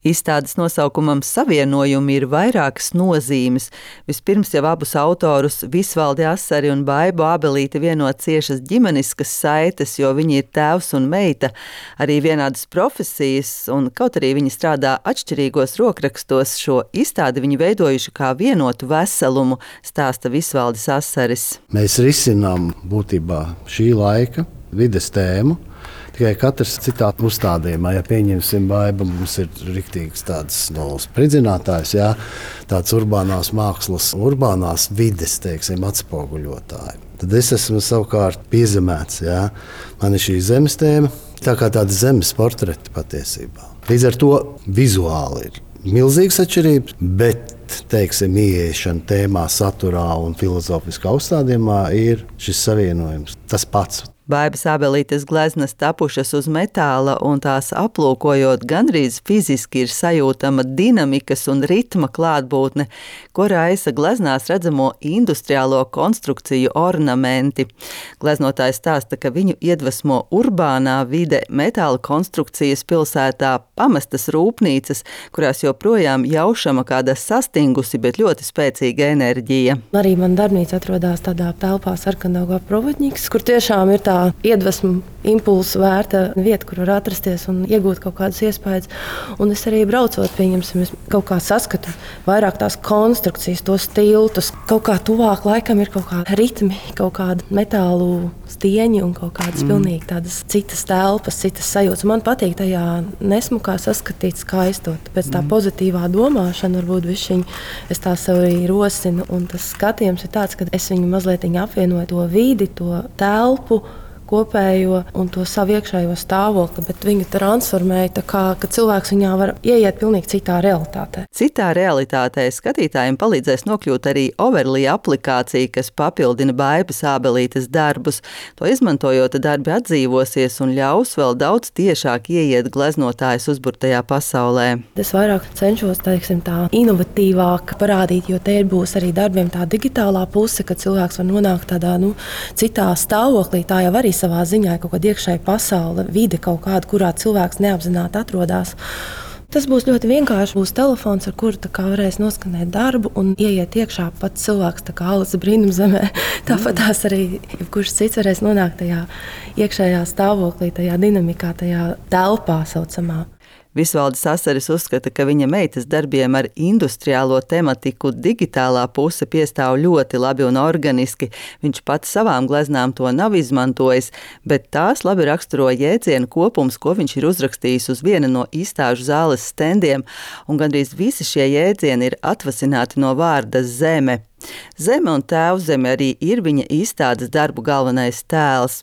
Izstādes nosaukumam Savienojumi ir vairākas nozīmes. Vispirms jau abus autorus Visvaldi Asari un Baibu Ābelīti vieno ciešas ģimeniskas saites, jo viņi ir tēvs un meita, arī vienādas profesijas, un kaut arī viņi strādā atšķirīgos rokrakstos, šo izstādi viņi veidojuši kā vienotu veselumu, stāsta Visvaldis Asaris. Mēs risinām būtībā šī laika vides tēmu. Tikai katrs citā uzstādījumā, ja pieņemsim Baiba, mums ir riktīgs tāds spridzinātājs, jā, tāds urbānās mākslas, urbānās vides, teiksim, atspoguļotāji. Tad es esmu savukārt piezemēts, jā. Man ir šī zemes tēma, tā kā tāda zemes portreti patiesībā. Līdz ar to vizuāli ir milzīgas atšķirības, bet, teiksim, ieiešana tēmā, saturā un filozofiskā uzstādījumā ir šis savienojums, tas pats. Baibas Ābelītes gleznas tapušas uz metāla, un tās aplūkojot gandrīz fiziski ir sajūtama dinamikas un ritma klātbūtne, ko raisa gleznās redzamo industriālo konstrukciju ornamenti. Gleznotājs stāsta, ka viņu iedvesmo urbānā vide, metāla konstrukcijas pilsētā, pamestas rūpnīcas, kurās joprojām jaušama kāda sastingusi, bet ļoti spēcīga enerģija. Arī man darbnīca atrodas tādā telpā Sarkandaugā Provodņiks, kur tiešām ir tā iedvesmu impulsu vērta vieta, kur var atrasties un iegūt kaut kādas iespējas. Un es arī braucot, pieņemsim, es kaut kā saskatu vairāk tās konstrukcijas, tos tiltus. Kaut kā tuvāk laikam ir kaut kādi ritmi, kaut kādi metālu stieņi un kaut kādas pilnīgi tādas citas telpas, citas sajūtas. Man patīk tajā nesmukā saskatīt skaistot. Pēc tā pozitīvā domāšana varbūt višķiņ es tā sev arī rosinu. Un tas skatījums ir tāds, ka es viņu mazliet apvienoju to vidi, to telpu, kopējo un to savu iekšējo stāvokli, bet viņu transformēja tā kā, ka cilvēks viņā var ieiet pilnīgi citā realitātē. Citā realitātē skatītājiem palīdzēs nokļūt arī Overlay aplikācija, kas papildina Baibas Ābelītes darbus. To izmantojot, darbi atdzīvosies un ļaus vēl daudz tiešāk ieiet gleznotājas uzburtajā pasaulē. Es vairāk cenšos, teiksim, tā inovatīvāk parādīt, jo te būs arī darbiem tā digitālā puse, ka cilvēks var nonākt tādā, citā stāvoklī, tā jau arī savā ziņā kaut kāda iekšēja pasaule, vide kaut kāda, kurā cilvēks neapzināti atrodas. Tas būs ļoti vienkārši. Būs telefons, ar kuru varēs noskanēt darbu un ieiet iekšā pats cilvēks, tā kā Alice brīnumzemē. Tāpat tās arī jebkurš cits varēs nonākt tajā iekšējā stāvoklī, tajā dinamikā, tajā telpā saucamā. Visvaldis Asaris uzskata, ka viņa meitas darbiem ar industriālo tematiku digitālā puse piestāv ļoti labi un organiski. Viņš pats savām gleznām to nav izmantojis, bet tās labi raksturo jēdzienu kopums, ko viņš ir uzrakstījis uz viena no izstāžu zāles stendiem, un gandrīz visi šie jēdzieni ir atvasināti no vārda zeme. Zeme un tēvzeme arī ir viņa izstādes darbu galvenais tēls.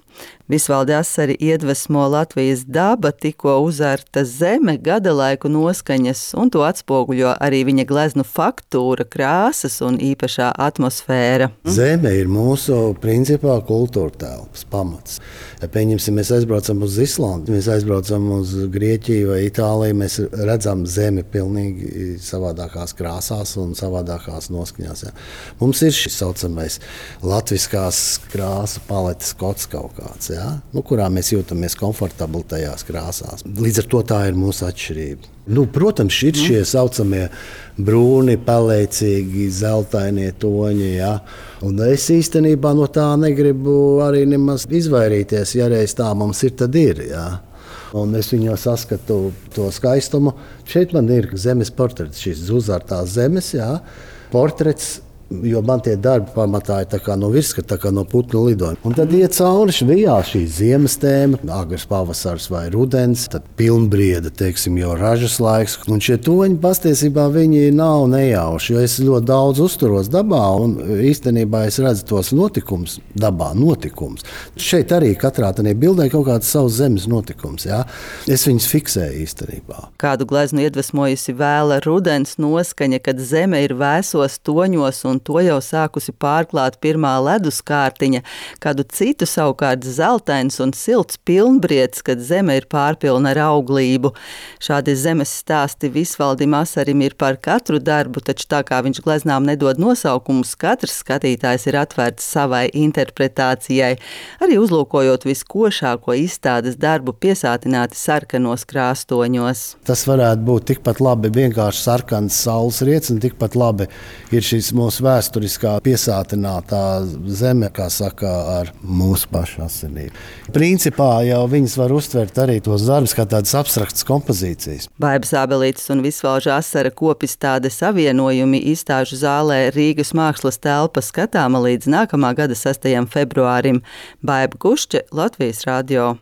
Visvaldi Asari iedvesmo Latvijas daba, tikko uzarta zeme, gada laiku noskaņas, un to atspoguļo arī viņa gleznu faktūra, krāsas un īpašā atmosfēra. Zeme ir mūsu principā kultūra telpas pamats. Ja pieņemsim, mēs aizbraucam uz Islandu, mēs aizbraucam uz Grieķiju vai Itāliju, mēs redzam zemi pilnīgi savādākās krāsās un savādākās noskaņās. Ja. Mums ir šis saucamais latviskās krāsu paletes kods kaut kāds, ja, kurā mēs jūtamies komfortabli tajās krāsās. Līdz ar to tā ir mūsu atšķirība. Protams, ir šie saucamie brūni, pelēcīgi, zeltainie toņi, ja. Un es īstenībā no tā negribu arī nemaz izvairīties, ja reiz tā mums ir, tad ir, ja. Un es viņā saskatu to skaistumu. Šeit man ir zemes portrets, šīs uzārtās zemes, ja, portrets. Jo man tie darbi pamatā ir tā kā no virskata, tā kā no putnu lidojuma. Un tad iet cauri švijā šī ziemas tēma, agrs pavasars vai rudens, tad pilnbrieda, teiksim, jau ražas laiks. Un šie toņi pastiesībā viņi nav nejauši, jo es ļoti daudz uzturos dabā un īstenībā es redzu tos notikums dabā, notikums. Šeit arī katrā tādā bildē kaut kāds savs zemes notikums, jā. Es viņus fiksēju īstenībā. Kādu gleznu iedvesmojusi vēla rudens noskaņa, kad zeme ir vēsos toņos un un to jau sākusi pārklāt pirmā ledus kārtiņa, kādu citu savukārt zeltains un silts pilnbriedz, kad zeme ir pārpilna ar auglību. Šādi zemes stāsti Visvaldim Asarim ir par katru darbu, taču tā kā viņš gleznām nedod nosaukumus, katrs skatītājs ir atvērts savai interpretācijai, arī uzlūkojot viskošāko izstādes darbu piesātināti sarkanos krāstoņos. Tas varētu būt tikpat labi vienkārši sarkans saules riets, un tikpat labi ir šīs mūsu vēsturiskā piesātinātā zeme, kā saka, ar mūsu pašu asinīm. Principā jau viņas var uztvert arī tos darbus kā tādas abstraktas kompozīcijas. Baibas Ābelītes un Visvalža Asara kopizstāde savienojumi izstāžu zālē Rīgas mākslas telpa skatāma līdz nākamā gada 6. februārim. Baiba Gušče, Latvijas radio.